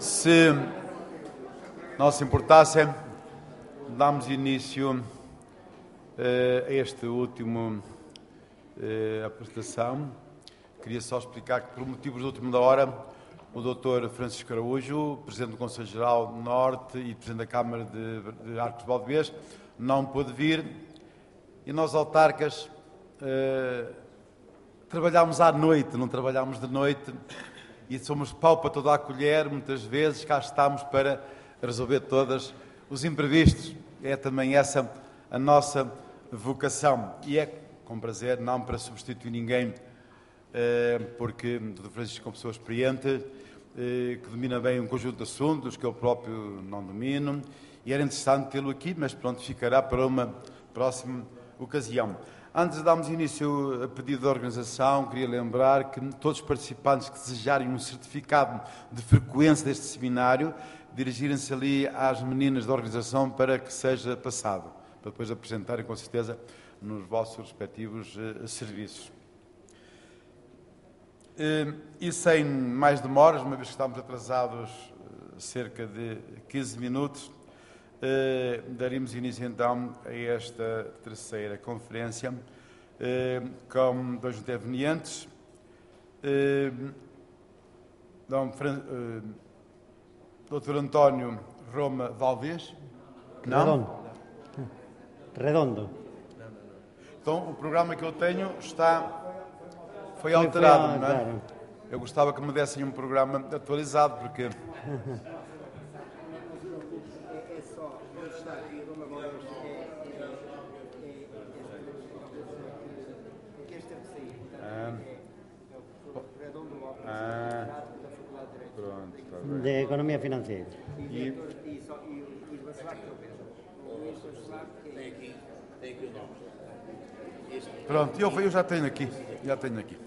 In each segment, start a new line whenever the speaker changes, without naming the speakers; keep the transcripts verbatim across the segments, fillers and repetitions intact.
Se não se importassem, damos início uh, a este último uh, apresentação. Queria só explicar que, por motivos de última hora, o doutor Francisco Araújo, Presidente do Conselho Geral Norte e Presidente da Câmara de, de Arcos de Valdevez, não pôde vir e nós, autarcas, uh, trabalhámos à noite, não trabalhámos de noite e somos pau para toda a colher, muitas vezes cá estamos para resolver todos os imprevistos. É também essa a nossa vocação e é com prazer, não para substituir ninguém, porque o doutor Francisco é uma pessoa experiente, que domina bem um conjunto de assuntos que eu próprio não domino, e era interessante tê-lo aqui, mas pronto, ficará para uma próxima ocasião. Antes de darmos início a pedido da organização, queria lembrar que todos os participantes que desejarem um certificado de frequência deste seminário, dirigirem-se ali às meninas da organização para que seja passado, para depois apresentarem com certeza nos vossos respectivos uh, serviços. Uh, e sem mais demoras, uma vez que estamos atrasados uh, cerca de quinze minutos, Uh, daremos início então a esta terceira conferência uh, com dois intervenientes, uh, Dom Fran... uh, doutor António Roma Valdevez.
Redondo. Redondo.
Então o programa que eu tenho está foi alterado, não é? Eu gostava que me dessem um programa atualizado, porque
de Economía Financiera.
E... Pronto, eu, eu já tenho aqui, já tenho aqui.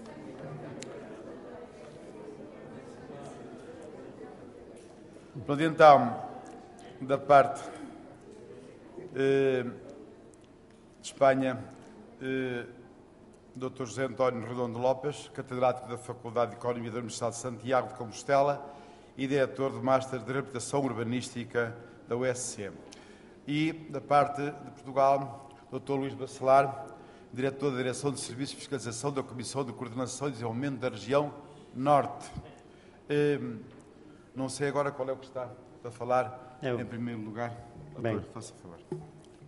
Pronto, então, da parte eh, de Espanha, eh, doutor José António Redondo Lopes, catedrático da Faculdade de Economia da Universidade de Santiago de Compostela e diretor de Master de Reabilitação Urbanística da U S C. E, da parte de Portugal, doutor Luís Bacelar, diretor da Direção de Serviços de Fiscalização da Comissão de Coordenação e Desenvolvimento da Região Norte. Eh, não sei agora qual é o que está a falar, Eu. em primeiro lugar.
Bem.
Faça favor.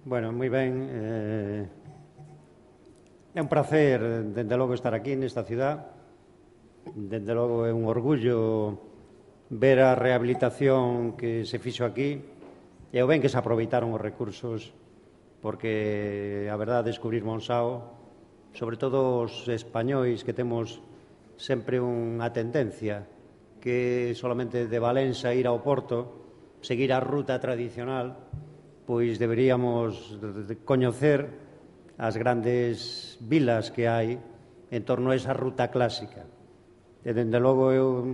Bueno, moi ben. Eh... É un prazer, dende logo, estar aquí nesta ciudad. Dende logo é un orgullo ver a rehabilitación que se fixo aquí e o ben que se aproveitaron os recursos, porque a verdade descubrir Monsao, sobre todo os españois que temos sempre unha tendencia que solamente de Valença ir ao Porto, seguir a ruta tradicional, pois deberíamos coñecer as grandes vilas que hai en torno a esa ruta clásica. E, dende logo, eu,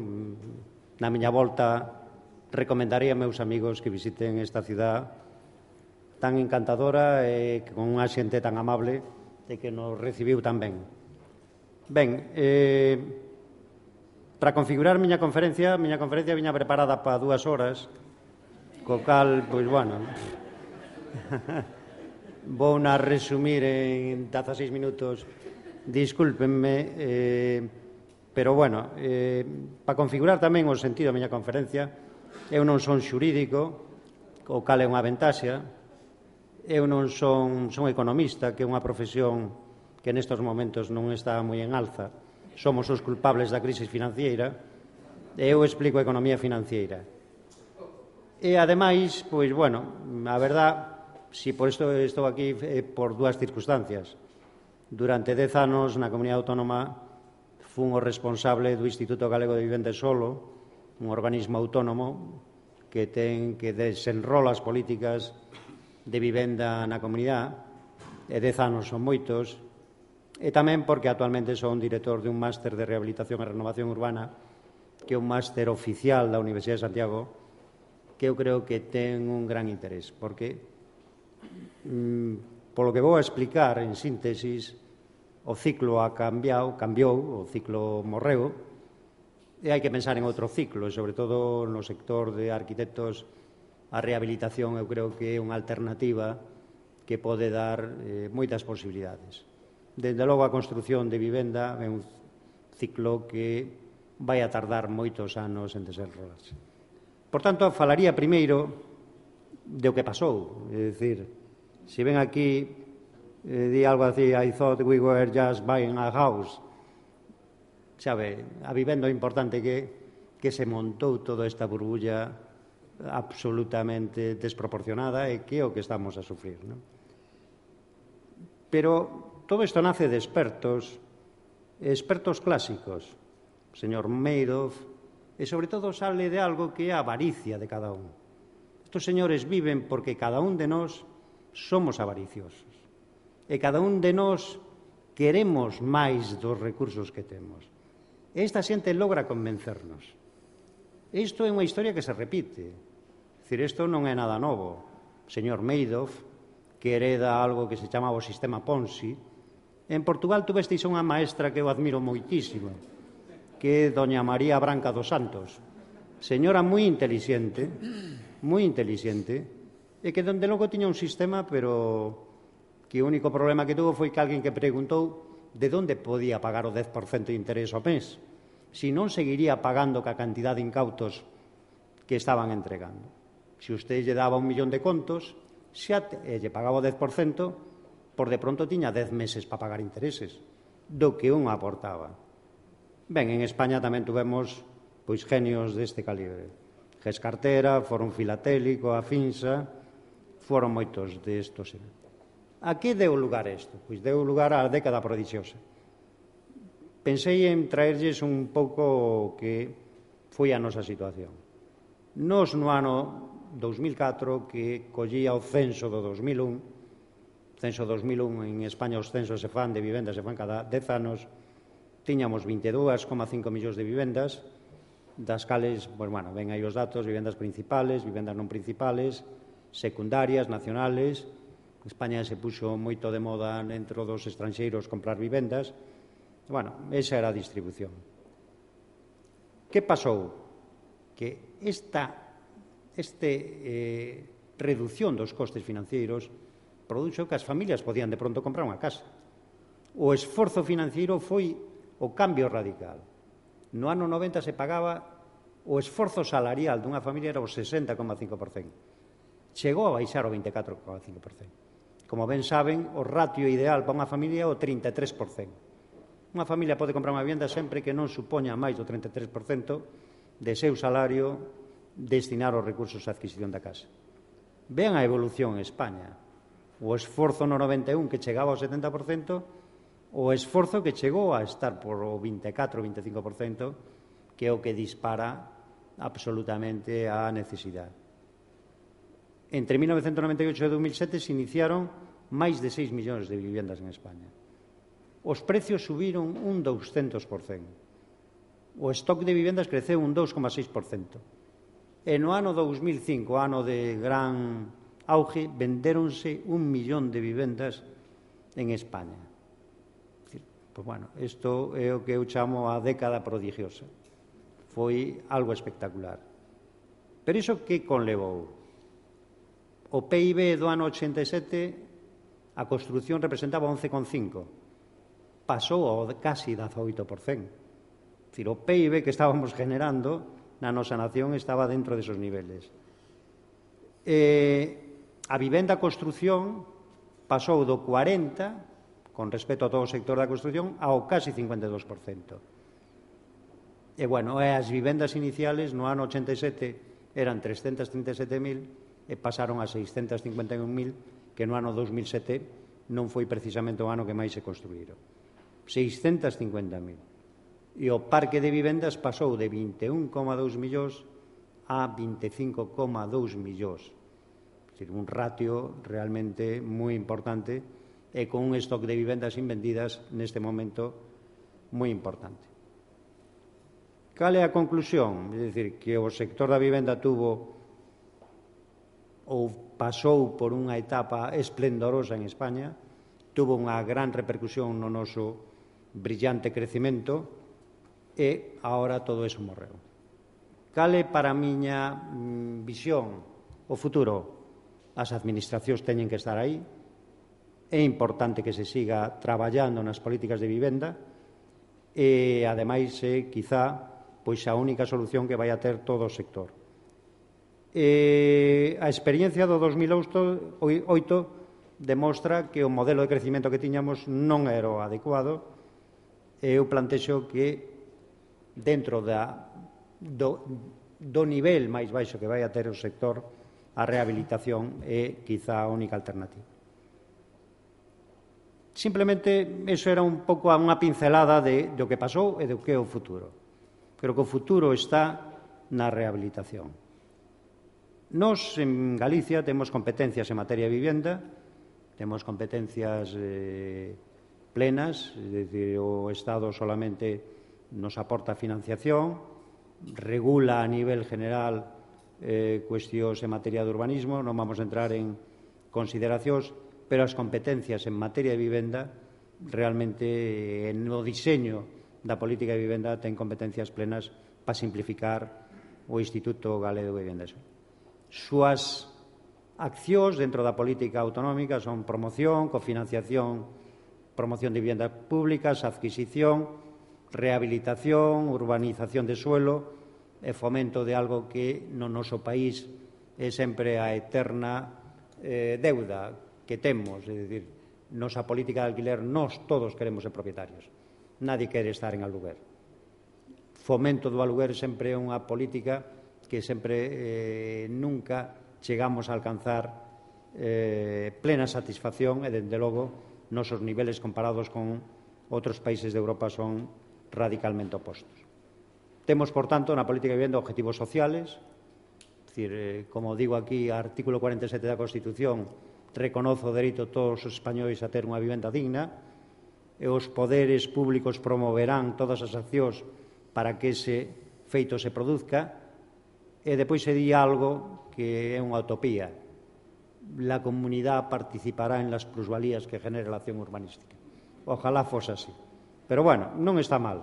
na miña volta, recomendaría a meus amigos que visiten esta ciudad tan encantadora e con unha xente tan amable e que nos recibiu tan ben. Ben, eh, para configurar a miña conferencia, a miña conferencia viña preparada para dúas horas, co cal, pois, bueno... Vou a resumir en dieciséis minutos, discúlpenme, eh, pero, bueno, eh, para configurar tamén o sentido da miña conferencia, eu non son xurídico, o cal é unha ventaxa, eu non son, son economista, que é unha profesión que nestes momentos non está moi en alza, somos os culpables da crise financiera, e eu explico a economía financiera. E, ademais, pois, bueno, a verdade... Si por isto estou aquí eh, por dúas circunstancias. Durante dez anos na Comunidade Autónoma fun o responsable do Instituto Galego de Vivenda Solo, un organismo autónomo que ten que desenrola as políticas de vivenda na comunidade, e dez anos son moitos, e tamén porque actualmente son director de un máster de rehabilitación e renovación urbana, que é un máster oficial da Universidade de Santiago, que eu creo que ten un gran interés, porque polo que vou a explicar en síntesis, o ciclo ha cambiado, cambiou, o ciclo morreu, E hai que pensar en outro ciclo, e sobre todo no sector de arquitectos, a rehabilitación eu creo que é unha alternativa que pode dar eh, moitas posibilidades. Dende logo, a construción de vivenda é un ciclo que vai a tardar moitos anos en desenrolarse. Por tanto, falaría primeiro de o que pasou. É dicir, se ven aquí, eh, di algo así, I thought we were just buying a house. Sabe, a vivenda importante que, que se montou toda esta burbulla absolutamente desproporcionada e que é o que estamos a sufrir, non? Pero todo isto nace de expertos, expertos clásicos, o señor Madoff, e sobre todo sale de algo que é a avaricia de cada un. Estos señores viven porque cada un de nós somos avariciosos e cada un de nós queremos máis dos recursos que temos. Esta xente logra convencernos. Isto é unha historia que se repite. É dicir, isto non é nada novo. O señor Madoff, que hereda algo que se chamaba o sistema Ponzi, en Portugal tuvesteis unha maestra que eu admiro moitísimo, que é doña María Branca dos Santos. Señora moi inteligente, moi inteligente, e que donde logo tiña un sistema, pero que o único problema que tuvo foi que alguén que preguntou de onde podía pagar o dez por cento de interés ao mes, se non seguiría pagando ca cantidad de incautos que estaban entregando. Se usted lle daba un millón de contos, xa e lle pagaba o dez por cento, por de pronto tiña dez meses para pagar intereses, do que un aportaba. Ben, en España tamén tuvemos pois genios deste calibre. Ges Cartera, Fórum Filatélico, a Finsa, foron moitos destos. A que deu lugar isto? Pois deu lugar á década prodigiosa. Pensei en traerlles un pouco que foi a nosa situación. Nos no ano dous mil catro, que collía o censo do dos mil un, censo dos mil un, en España os censos se fan de vivendas, se fan cada dez anos, tiñamos vinte e dous coma cinco millóns de vivendas, das cales, pues, bueno, ven aí os datos, vivendas principales, vivendas non principales, secundarias, nacionales. España se puxo moito de moda dentro dos estranxeiros comprar vivendas. Bueno, esa era a distribución. Que pasou? Que esta este, eh, reducción dos costes financeiros produxo que as familias podían de pronto comprar unha casa. O esforzo financeiro foi o cambio radical. No ano noventa se pagaba o esforzo salarial dunha familia era o sesenta coma cinco por cento. Chegou a baixar o vinte e catro coma cinco por cento. Como ben saben, o ratio ideal para unha familia é o trinta e tres por cento. Unha familia pode comprar unha vivenda sempre que non supoña máis do trinta e tres por cento de seu salario destinar os recursos á adquisición da casa. Vean a evolución en España. O esforzo no noventa e un que chegaba ao setenta por cento, o esforzo que chegou a estar por o vinte e catro, vinte e cinco por cento, que é o que dispara absolutamente a necesidade. Entre mil novecentos noventa e oito e dos mil sete se iniciaron máis de seis millóns de vivendas en España. Os precios subiron un douscentos por cento. O stock de vivendas creceu un dous coma seis por cento. E no ano dous mil cinco, ano de gran auge, vendéronse un millón de vivendas en España. Pois, bueno, isto é o que eu chamo a década prodigiosa. Foi algo espectacular. Pero iso que conlevou? O P I B do ano ochenta e sete, a construción representaba once coma cinco. Pasou ao casi dezaoito por cento. É dicir, o P I B que estábamos generando na nosa nación estaba dentro desos niveles. E a vivenda construción pasou do cuarenta, con respecto a todo o sector da construción, ao casi cincuenta e dous por cento. E, bueno, as vivendas iniciales no ano ochenta e sete eran trescentos trinta e sete mil e pasaron a seiscentos cincuenta e un mil, que no ano dos mil sete non foi precisamente o ano que máis se construíron. seiscentos cincuenta mil. E o parque de vivendas pasou de vinte e un coma dous millóns a vinte e cinco coma dous millóns. É dicir, un ratio realmente moi importante e con un stock de vivendas invendidas neste momento moi importante. Cal é a conclusión? É dicir, que o sector da vivenda tuvo ou pasou por unha etapa esplendorosa en España, tuvo unha gran repercusión no noso brillante crecemento, e agora todo eso morreu. Cal é para a miña visión o futuro? As administracións teñen que estar aí, é importante que se siga traballando nas políticas de vivenda e, ademais, é, quizá, pois a única solución que vai a ter todo o sector. E a experiencia do dos mil oito demostra que o modelo de crecimento que tiñamos non era o adecuado e eu plantexo que dentro da, do, do nivel máis baixo que vai a ter o sector, a rehabilitación é quizá a única alternativa. Simplemente, iso era un pouco unha pincelada de, do que pasou e do que é o futuro. Creo que o futuro está na rehabilitación. Nos, en Galicia, temos competencias en materia de vivenda, temos competencias eh, plenas, é dicir, o Estado solamente nos aporta financiación, regula a nivel general eh, cuestións en materia de urbanismo, non vamos a entrar en consideracións, pero as competencias en materia de vivenda realmente eh, no diseño da política de vivenda ten competencias plenas para simplificar o Instituto Galego de Vivenda. Súas accións dentro da política autonómica son promoción, cofinanciación, promoción de viviendas públicas, adquisición, rehabilitación, urbanización de suelo e fomento de algo que no noso país é sempre a eterna eh, deuda que temos, é dicir, nosa política de alquiler, nós todos queremos ser propietarios, nadie quere estar en aluguer. Fomento do aluguer sempre é unha política que sempre eh, nunca chegamos a alcanzar eh, plena satisfacción e, dende logo, nosos niveles comparados con outros países de Europa son radicalmente opostos. Temos, por tanto, na política de vivenda objetivos sociales, é dicir, eh, como digo aquí, o artículo cuarenta e sete da Constitución reconoce o dereito a todos os españois a ter unha vivenda digna e os poderes públicos promoverán todas as accións para que ese feito se produzca. E depois se di algo que é unha utopía. La comunidade participará en las plusvalías que genere la acción urbanística. Ojalá fose así. Pero, bueno, non está mal.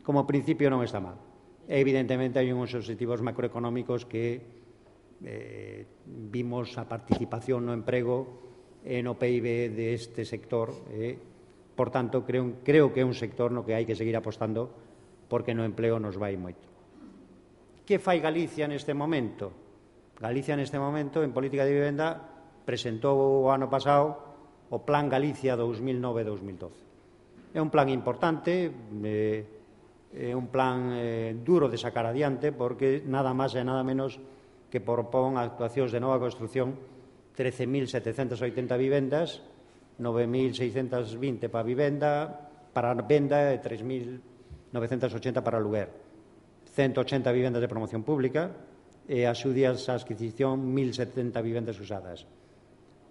Como principio non está mal. Evidentemente, hai uns objetivos macroeconómicos que eh, vimos a participación no emprego e no P I B deste sector. Eh, por tanto, creo, creo que é un sector no que hai que seguir apostando porque no empleo nos vai moito. Que fai Galicia neste momento? Galicia neste momento, en política de vivenda, presentou o ano pasado o Plan Galicia dous mil nove a dous mil doce. É un plan importante, eh, é un plan eh, duro de sacar adiante, porque nada máis e nada menos que propón actuacións de nova construción trece mil setecentas oitenta vivendas, nove mil seiscentas vinte para vivenda, para venda e tres mil novecentas ochenta para aluguer. ciento ochenta vivendas de promoción pública e axudias a adquisición mil setenta vivendas usadas.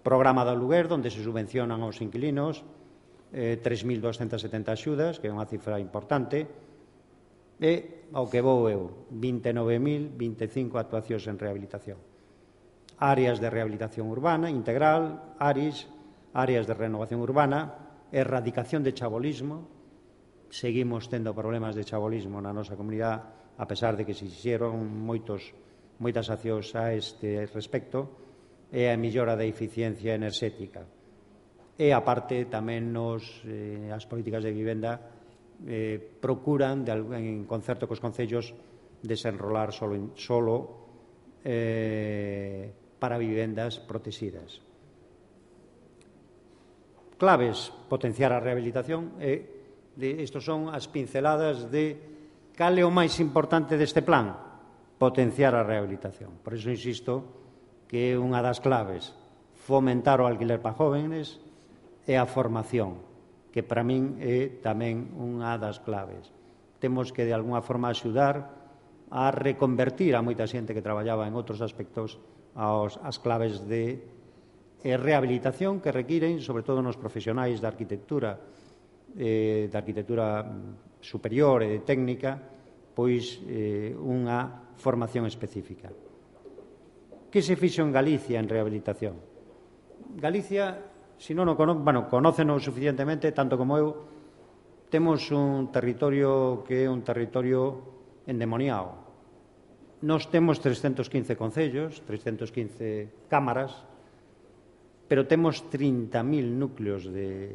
Programa de aluguer, onde se subvencionan aos inquilinos, eh, tres mil doscientas setenta axudas, que é unha cifra importante, e, ao que vou eu, vinte e nove mil vinte e cinco actuacións en rehabilitación. Áreas de rehabilitación urbana integral, A R I S, áreas de renovación urbana, erradicación de chabolismo. Seguimos tendo problemas de chabolismo na nosa comunidade, a pesar de que se fixeron moitos, moitas accións a este respecto, e a mellora da eficiencia enerxética. E, aparte, tamén nos, eh, as políticas de vivenda eh, procuran, de, en concerto cos concellos, desenrolar solo, solo eh, para vivendas protegidas. Claves: potenciar a rehabilitación. E de, estos son as pinceladas de cal é o máis importante deste plan. Potenciar a rehabilitación. Por iso insisto que é unha das claves fomentar o alquiler para jóvenes e a formación, que para min é tamén unha das claves. Temos que, de alguna forma, axudar a reconvertir a moita xente que traballaba en outros aspectos aos, as claves de eh, rehabilitación que requiren, sobre todo nos profesionais da arquitectura, eh, da arquitectura superior e de técnica, pois eh, unha formación específica. Que se fixo en Galicia en rehabilitación? Galicia, se non o cono, bueno, conóceno suficientemente, tanto como eu, temos un territorio que é un territorio endemoniado. Nos temos trescentos quince concellos, trescentos quince cámaras, pero temos trinta mil núcleos de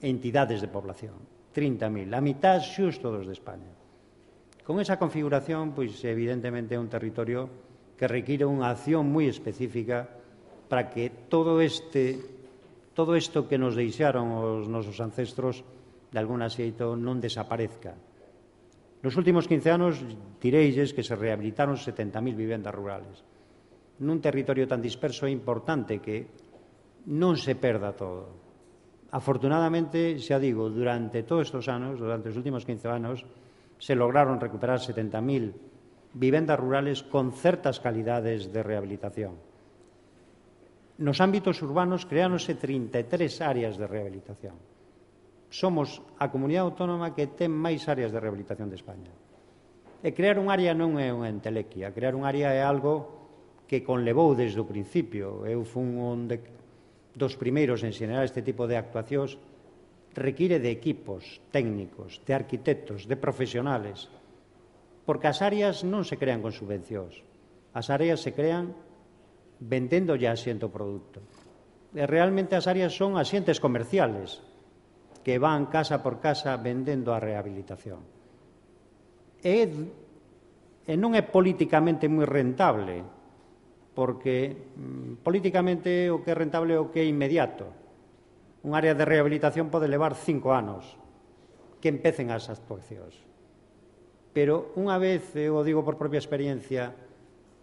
entidades de población. trinta mil, a mitad xusto dos de España. Con esa configuración, pois evidentemente é un territorio que require unha acción moi específica para que todo este, todo isto que nos deixaron os nosos ancestros de alguna xeito non desaparezca. Nos últimos quince anos direilles que se rehabilitaron setenta mil vivendas rurales. Nun territorio tan disperso é importante que non se perda todo. Afortunadamente, xa digo, durante todos estes anos, durante os últimos quince anos, se lograron recuperar setenta mil vivendas rurales con certas calidades de rehabilitación. Nos ámbitos urbanos creáronse trinta e tres áreas de rehabilitación. Somos a comunidade autónoma que ten máis áreas de rehabilitación de España. E crear un área non é unha entelequia, crear un área é algo que conlevou desde o principio. Eu fun un de, dos primeiros en xenerar este tipo de actuacións. Require de equipos técnicos, de arquitectos, de profesionales, porque as áreas non se crean con subvencións. As áreas se crean vendendo ya asiento produto. E realmente as áreas son asientes comerciales que van casa por casa vendendo a rehabilitación. E, e non é políticamente moi rentable, porque mm, políticamente o que é rentable é o que é inmediato. Un área de rehabilitación pode levar cinco anos que empecen as actuacións. Pero unha vez, eu o digo por propia experiencia,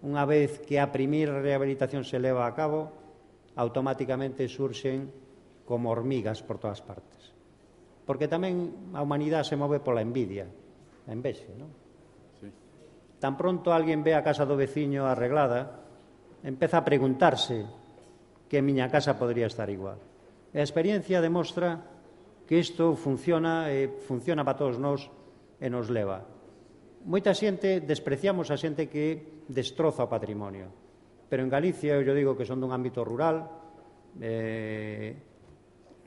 unha vez que a primeira rehabilitación se leva a cabo, automáticamente surxen como hormigas por todas partes. Porque tamén a humanidade se move pola envidia, a envexe, non? Sí. Tan pronto alguén ve a casa do veciño arreglada, empeza a preguntarse que a miña casa podría estar igual. E a experiencia demostra que isto funciona e funciona para todos nós e nos leva. Moita xente, despreciamos a xente que destroza o patrimonio, pero en Galicia, eu digo que son dun ámbito rural, eh,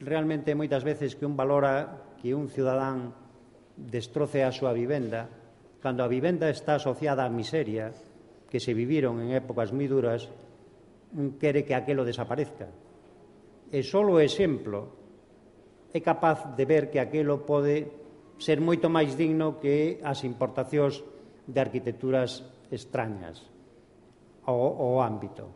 realmente moitas veces que un valora que un cidadán destroce a súa vivenda, cando a vivenda está asociada á miseria que se viviron en épocas moi duras, un quere que aquelo desaparezca. E só o exemplo é capaz de ver que aquilo pode ser moito máis digno que as importacións de arquitecturas extrañas ao, ao ámbito.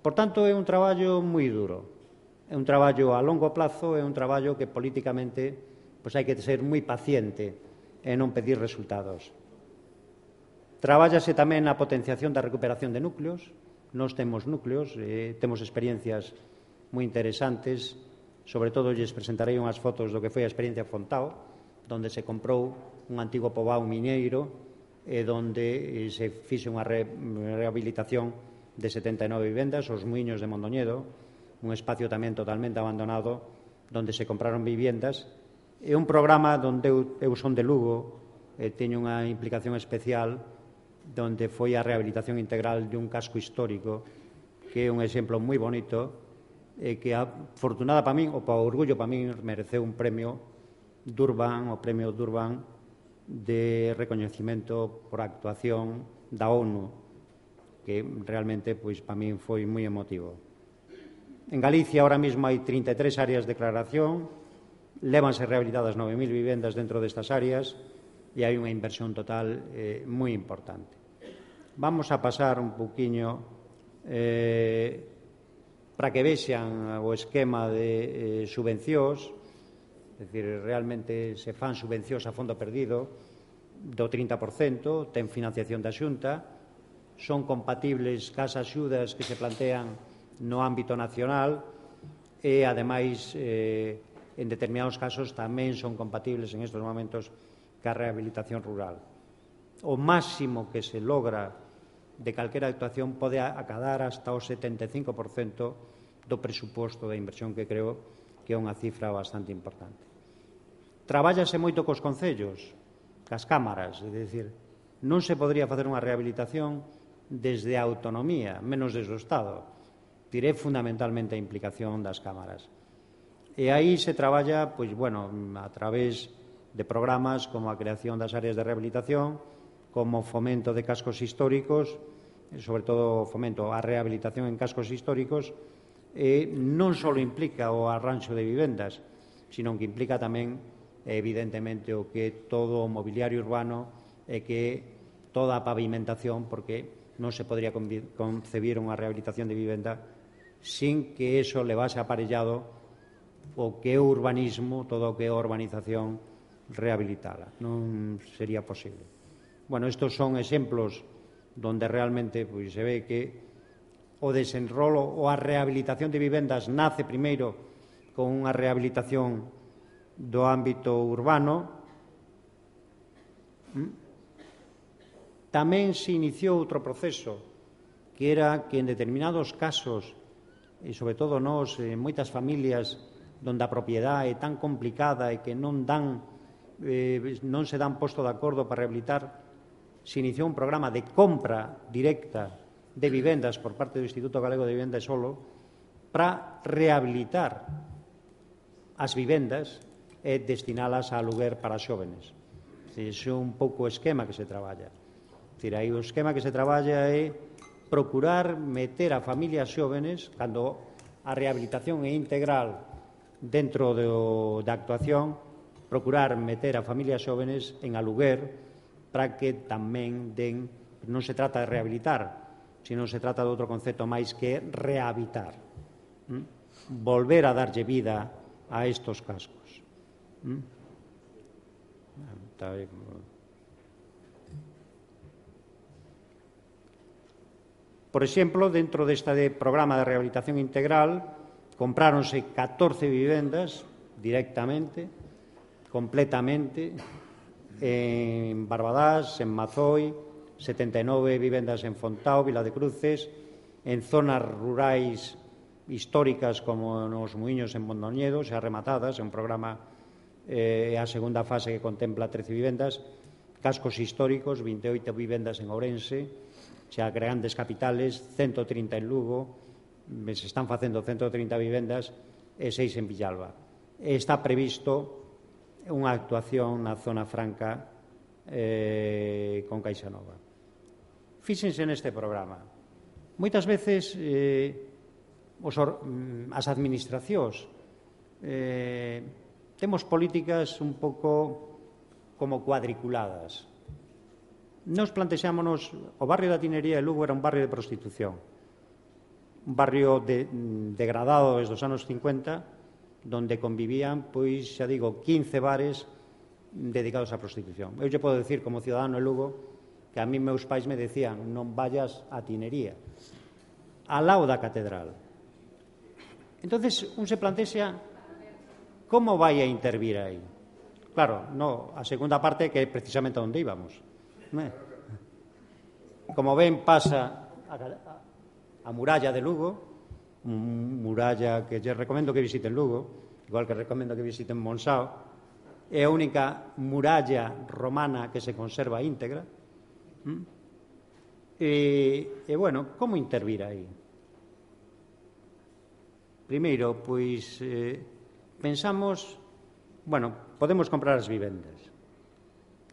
Por tanto, é un traballo moi duro. É un traballo a longo plazo, é un traballo que políticamente pois hai que ser moi paciente e non pedir resultados. Trabállase tamén na potenciación da recuperación de núcleos. Nós temos núcleos, eh, temos experiencias moi interesantes, sobre todo lles presentarei unhas fotos do que foi a experiencia Fontao, donde se comprou un antigo poboado mineiro e donde se fixe unha re, rehabilitación de setenta e nove vivendas, os muiños de Mondoñedo, un espacio tamén totalmente abandonado, donde se compraron viviendas, e un programa donde eu, eu son de Lugo, e teño unha implicación especial, donde foi a rehabilitación integral de un casco histórico, que é un exemplo moi bonito, e que, afortunada para min, ou para orgullo para min, mereceu un premio Durban, o premio Durban de recoñecimento por actuación da ONU, que realmente, pois, para min foi moi emotivo. En Galicia, ahora mesmo, hai trinta e tres áreas de declaración, lévanse rehabilitadas nove mil vivendas dentro destas áreas e hai unha inversión total eh, moi importante. Vamos a pasar un poquinho eh, para que vexan o esquema de eh, subvencións, é dicir, realmente se fan subvencións a fondo perdido do trinta por cento, ten financiación da Xunta, son compatibles cas axudas que se plantean no ámbito nacional e, ademais, eh, en determinados casos tamén son compatibles en estes momentos ca rehabilitación rural. O máximo que se logra de calquera actuación pode acadar hasta o setenta e cinco por cento do presuposto da inversión, que creo que é unha cifra bastante importante. Trabállase moito cos concellos, cas cámaras, é dicir, non se podría facer unha rehabilitación desde a autonomía, menos desde o Estado. Diré fundamentalmente a implicación das cámaras. E aí se traballa, pois, bueno, a través de programas como a creación das áreas de rehabilitación, como fomento de cascos históricos, sobre todo fomento a rehabilitación en cascos históricos, e non só implica o arranxo de vivendas, sino que implica tamén, evidentemente, o que todo o mobiliario urbano e que toda a pavimentación, porque non se podría concebir unha rehabilitación de vivenda sin que eso levase aparellado o que é o urbanismo, todo o que é a urbanización, rehabilitala. Non sería posible. Bueno, estos son exemplos donde realmente pois, se ve que o desenrolo ou a rehabilitación de vivendas nace primeiro con unha rehabilitación do ámbito urbano. Tamén se iniciou outro proceso, que era que en determinados casos, e sobre todo nós, en moitas familias onde a propiedade é tan complicada e que non dan, eh, non se dan posto de acordo para rehabilitar, se iniciou un programa de compra directa de vivendas por parte do Instituto Galego de Vivenda e Solo para rehabilitar as vivendas e destinalas a aluguer para xóvenes. Ese é un pouco o esquema que se traballa. Aí o esquema que se traballa é procurar meter a familias xóvenes, cando a rehabilitación é integral dentro do, da actuación, procurar meter a familias xóvenes en aluguer para que tamén den, non se trata de rehabilitar, sino se trata de outro concepto máis que rehabitar, ¿Mm? volver a darlle vida a estos cascos. ¿Mm? Está bien. Por exemplo, dentro deste programa de rehabilitación integral, compráronse catorce vivendas directamente, completamente, en Barbadás, en Mazoi, setenta e nove vivendas en Fontao, Vila de Cruces, en zonas rurais históricas como nos Muiños en Mondoñedo, xa rematadas, é un programa, eh, a segunda fase que contempla trece vivendas, cascos históricos, vinte e oito vivendas en Ourense, xa grandes capitales, ciento trinta en Lugo, se están facendo ciento trinta vivendas e seis en Villalba. Está previsto unha actuación na zona franca eh, con Caixa Nova. Fíxense neste programa. Moitas veces eh, os, as administracións eh, temos políticas un pouco como cuadriculadas. Nos plantexámonos, o barrio da Tinería de Lugo era un barrio de prostitución, un barrio de, degradado desde os anos cincuenta, donde convivían, pois, xa digo, quince bares dedicados á prostitución. Eu lle podo decir, como cidadano de Lugo, que a mí meus pais me decían non vayas á Tinería, ao lado da catedral. Entonces, un se plantexa como vai a intervir aí. Claro, no, a segunda parte que é precisamente onde íbamos. Como ven, pasa a, a, a muralla de Lugo, muralla que lle recomendo que visiten Lugo, igual que recomendo que visiten Monsao, é a única muralla romana que se conserva íntegra. E, e bueno, como intervir aí? Primeiro, pois, eh, pensamos, bueno, podemos comprar as vivendas.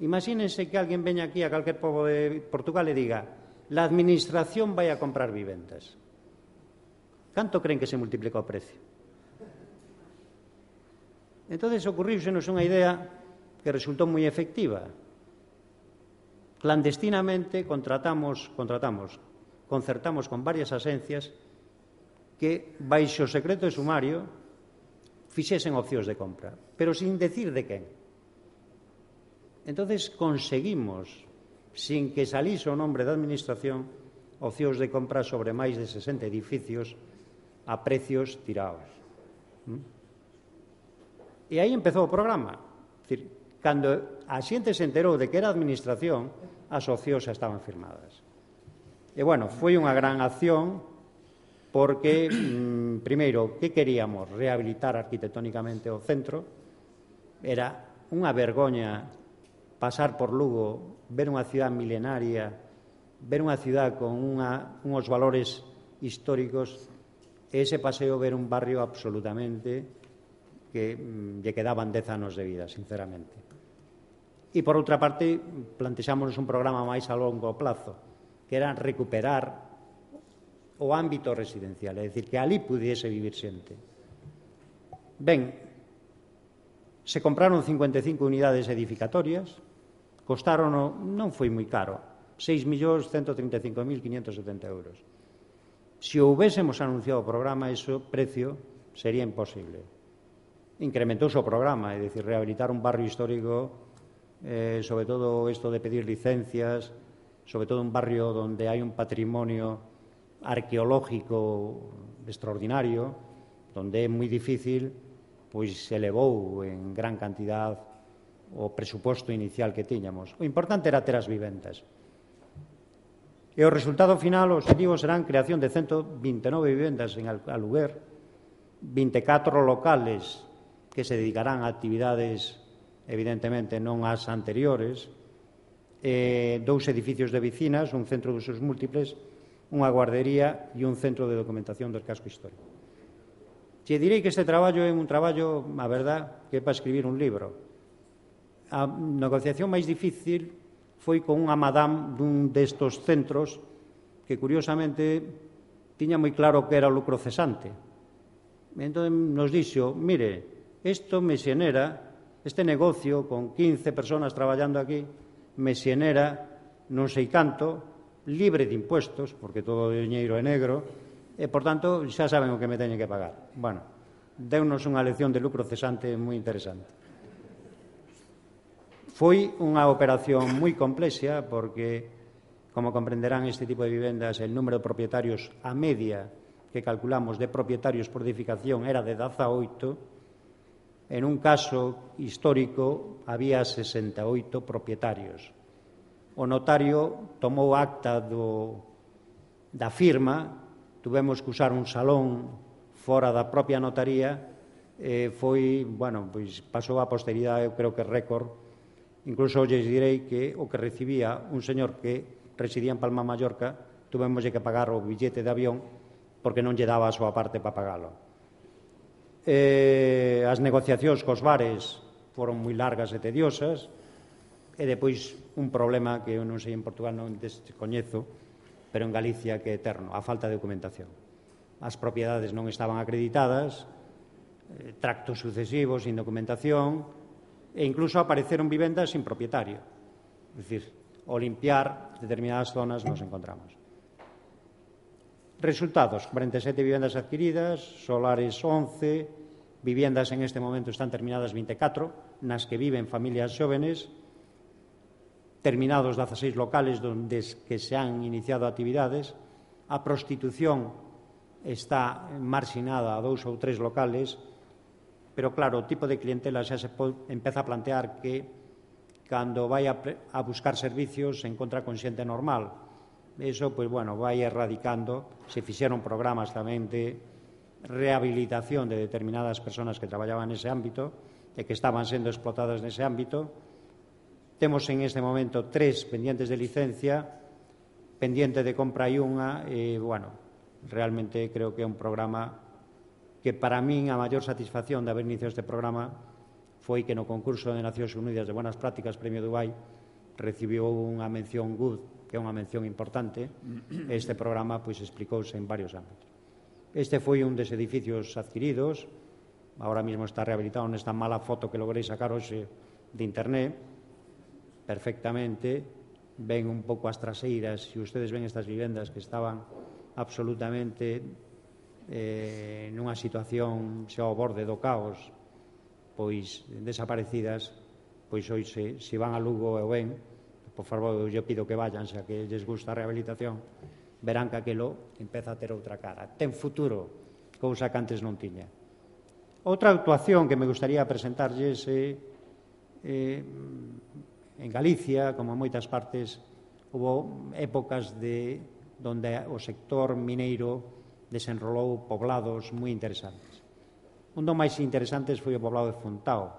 Imagínense que alguén veña aquí a calquer pobo de Portugal e diga la administración vai a comprar vivendas. Canto creen que se multiplica o precio? Entón, ocurriusenos unha idea que resultou moi efectiva. Clandestinamente contratamos, contratamos, concertamos con varias agencias que, baixo secreto de sumario, fixesen opcións de compra, pero sin decir de quen. Entón, conseguimos, sin que salise o nombre da administración, opcións de compra sobre máis de sesenta edificios a precios tirados. E aí empezou o programa. Cando a xente se enterou de que era a administración, as opcións xa estaban firmadas. E, bueno, foi unha gran acción porque, mmm, primeiro, que queríamos? Rehabilitar arquitectónicamente o centro. Era unha vergoña pasar por Lugo, ver unha cidade milenaria, ver unha cidade con unha, unhos valores históricos, e ese paseo ver un barrio absolutamente que lle quedaban dez anos de vida, sinceramente. E, por outra parte, plantexámonos un programa máis a longo plazo, que era recuperar o ámbito residencial, é dicir, que ali pudiese vivir xente. Ben, se compraron cincuenta e cinco unidades edificatorias, costaron, non foi moi caro, seis millóns ciento trinta e cinco mil quinhentos setenta euros. Se houbésemos anunciado o programa, ese precio sería imposible. Incrementouse o programa, é dicir, rehabilitar un barrio histórico, eh, sobre todo isto de pedir licencias, sobre todo un barrio onde hai un patrimonio arqueológico extraordinario, onde é moi difícil, pois se elevou en gran cantidad o presuposto inicial que tiñamos. O importante era ter as vivendas. E o resultado final, o objetivo, serán creación de ciento vinte e nove vivendas en aluguer, vinte e catro locales que se dedicarán a actividades, evidentemente, non as anteriores, eh, dous edificios de vecinas, un centro de usos múltiples, unha guardería e un centro de documentación do casco histórico. Che direi que este traballo é un traballo, a verdad, que é para escribir un libro. A negociación máis difícil foi con unha madame dun destos centros que, curiosamente, tiña moi claro que era o lucro cesante. Entón nos dixo, mire, isto me xenera, este negocio con quince personas traballando aquí, me xenera non sei canto, libre de impuestos, porque todo o diñeiro é negro, e, por tanto, xa saben o que me teñen que pagar. Bueno, deunos unha lección de lucro cesante moi interesante. Foi unha operación moi complexa porque, como comprenderán, este tipo de vivendas, el número de propietarios a media que calculamos de propietarios por edificación era de dezaoito. En un caso histórico había sesenta e oito propietarios. O notario tomou acta do, da firma, tuvemos que usar un salón fora da propia notaría, e foi, bueno, pois pasou a posteridade, eu creo que récord. Incluso lles direi que o que recibía un señor que residía en Palma Mallorca, tuvemos que pagar o billete de avión porque non lle daba a súa parte para pagalo. Eh, as negociacións cos bares foron moi largas e tediosas, e depois un problema que eu non sei en Portugal, non descoñezo, pero en Galicia que é eterno, a falta de documentación. As propiedades non estaban acreditadas, eh, tractos sucesivos sin documentación, e incluso apareceron vivendas sin propietario. É dicir, ao limpiar determinadas zonas nos encontramos. Resultados, cuarenta e sete vivendas adquiridas, solares once, vivendas en este momento están terminadas vinte e catro, nas que viven familias xóvenes, terminados dezaseis locales onde que se han iniciado actividades, a prostitución está marxinada a dous ou tres locales, pero, claro, o tipo de clientela xa se pode, empeza a plantear que cando vai a, a buscar servicios se encontra con xente normal. Eso, pois, bueno, vai erradicando. Se fixeron programas tamén de rehabilitación de determinadas persoas que traballaban nese ámbito e que estaban sendo explotadas nese ámbito. Temos en este momento tres pendientes de licencia, pendiente de compra e unha, e, bueno, realmente creo que é un programa que para min a maior satisfacción de haber iniciado este programa foi que no concurso de Nacións Unidas de Buenas Prácticas Premio Dubai recibiu unha mención good, que é unha mención importante. Este programa pois explicouse en varios ámbitos. Este foi un dos edificios adquiridos, ahora mismo está rehabilitado nesta mala foto que logrei sacar hoxe de internet, perfectamente, ven un pouco as traseiras, se ustedes ven estas vivendas que estaban absolutamente Eh, nunha situación xa ao borde do caos, pois desaparecidas, pois hoxe, se van a Lugo e o ven, por favor, eu pido que vayan, xa que lles gusta a rehabilitación, verán que aquilo empeza a ter outra cara. Ten futuro, cousa que antes non tiña. Outra actuación que me gustaría presentarlles é eh, en Galicia, como en moitas partes, houve épocas de onde o sector mineiro desenrolou poblados moi interesantes. Un dos máis interesantes foi o poblado de Fontao.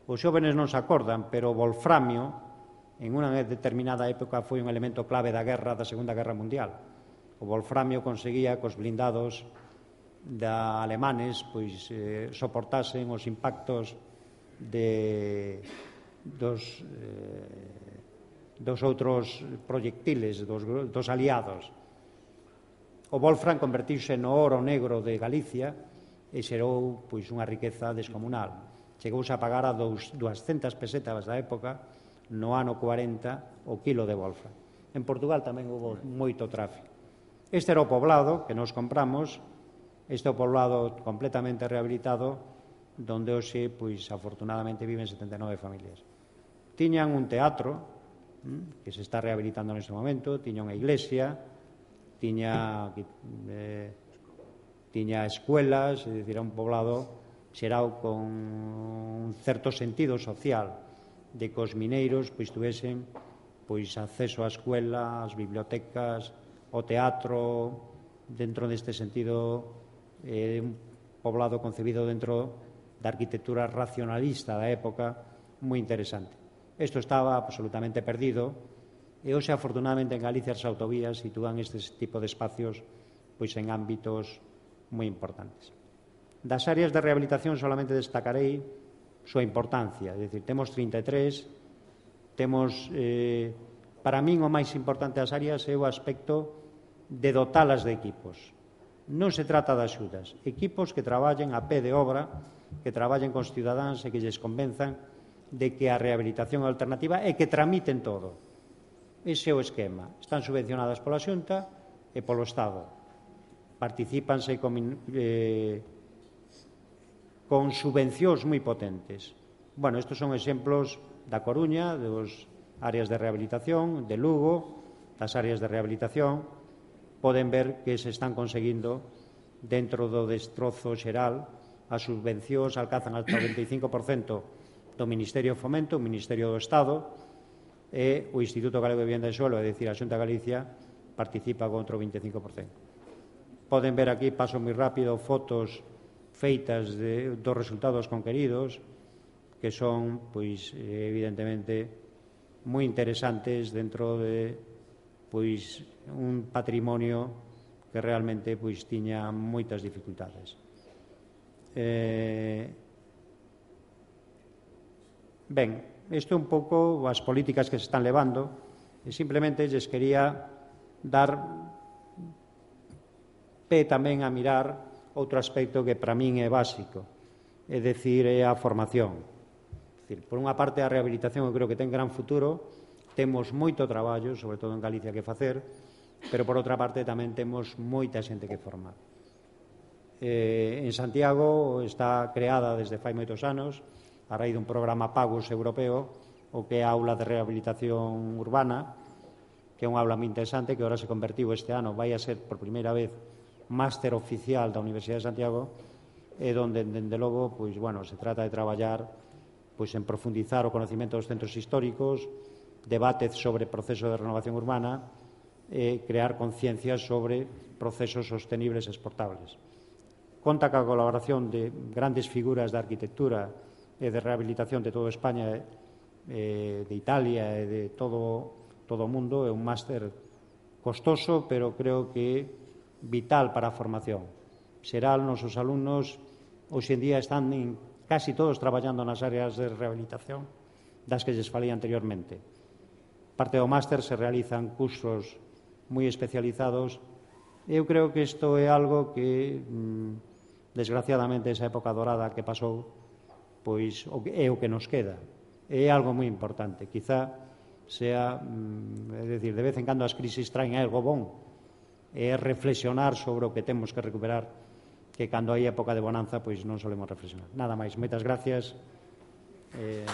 Os xóvenes non se acordan, pero o wolframio, en unha determinada época, foi un elemento clave da guerra da Segunda Guerra Mundial. O wolframio conseguía cos blindados da alemanes pois eh, soportasen os impactos de dos eh, dos outros proyectiles dos, dos aliados. O Wolfram convertiuse no oro negro de Galicia e xerou pois unha riqueza descomunal. Chegouse a pagar a duascentas pesetas da época no ano cuarenta o kilo de Wolfram. En Portugal tamén houve moito tráfico. Este era o poblado que nos compramos, este é o poblado completamente rehabilitado, donde hoxe, pois, afortunadamente, viven setenta e nove familias. Tiñan un teatro, que se está rehabilitando neste momento, tiña unha iglesia, tiña, eh, tiña escuelas, é dicir, era un poblado xerado con un certo sentido social, de que os mineiros pois tuvesen pois acceso á escuela, ás bibliotecas, ao teatro, dentro deste sentido, eh, un poblado concebido dentro da arquitectura racionalista da época, moi interesante. Isto estaba absolutamente perdido e hoxe, afortunadamente, en Galicia as autovías sitúan este tipo de espacios pois en ámbitos moi importantes. Das áreas de rehabilitación solamente destacarei súa importancia, é dicir, temos trinta e tres, temos, eh, para min o máis importante das áreas é o aspecto de dotalas de equipos. Non se trata de axudas, equipos que traballen a pé de obra, que traballen cos cidadáns e que lles convenzan de que a rehabilitación é alternativa e que tramiten todo. Ese é o esquema. Están subvencionadas pola Xunta e polo Estado. Particípanse con, eh, con subvencións moi potentes. Bueno, estos son exemplos da Coruña, dos áreas de rehabilitación, de Lugo, das áreas de rehabilitación. Poden ver que se están conseguindo dentro do destrozo xeral. As subvencións alcanzan hasta o veinticinco por cento do Ministerio de Fomento, o Ministerio do Estado, e o Instituto Galego de Vivienda e Suelo, é dicir, a Xunta de Galicia, participa con outro veinticinco por cento. Poden ver aquí, paso moi rápido, fotos feitas de, dos resultados conqueridos, que son, pois, evidentemente, moi interesantes dentro de, pois, un patrimonio que realmente, pois, tiña moitas dificultades. Eh... Ben, isto é un pouco as políticas que se están levando e simplemente lles quería dar pé tamén a mirar outro aspecto que para min é básico, é dicir, é a formación. É dicir, por unha parte, a rehabilitación eu creo que ten gran futuro, temos moito traballo, sobre todo en Galicia, que facer, pero por outra parte tamén temos moita xente que formar. Eh, en Santiago está creada desde fai moitos anos, a raíz dun programa Pagos europeo, o que é a aula de rehabilitación urbana, que é unha aula moi interesante, que agora se convertiu este ano, vai a ser por primeira vez máster oficial da Universidade de Santiago, e donde, dende logo, pois, bueno, se trata de traballar pois, en profundizar o conocimento dos centros históricos, debates sobre proceso de renovación urbana e crear conciencia sobre procesos sostenibles e exportables. Conta ca colaboración de grandes figuras da arquitectura e de rehabilitación de toda España, eh, de Italia e de todo, todo o mundo. É un máster costoso, pero creo que vital para a formación. Xeral, nosos alumnos hoxe en día están en, casi todos traballando nas áreas de rehabilitación das que lles falei anteriormente. Parte do máster se realizan cursos moi especializados. Eu creo que isto é algo que, desgraciadamente, esa época dorada que pasou, pois é o que nos queda. É algo moi importante. Quizá sea, é dicir, de vez en cando as crisis traen algo bon, é reflexionar sobre o que temos que recuperar, que cando hai época de bonanza, pois non solemos reflexionar. Nada máis. Moitas gracias. Eh,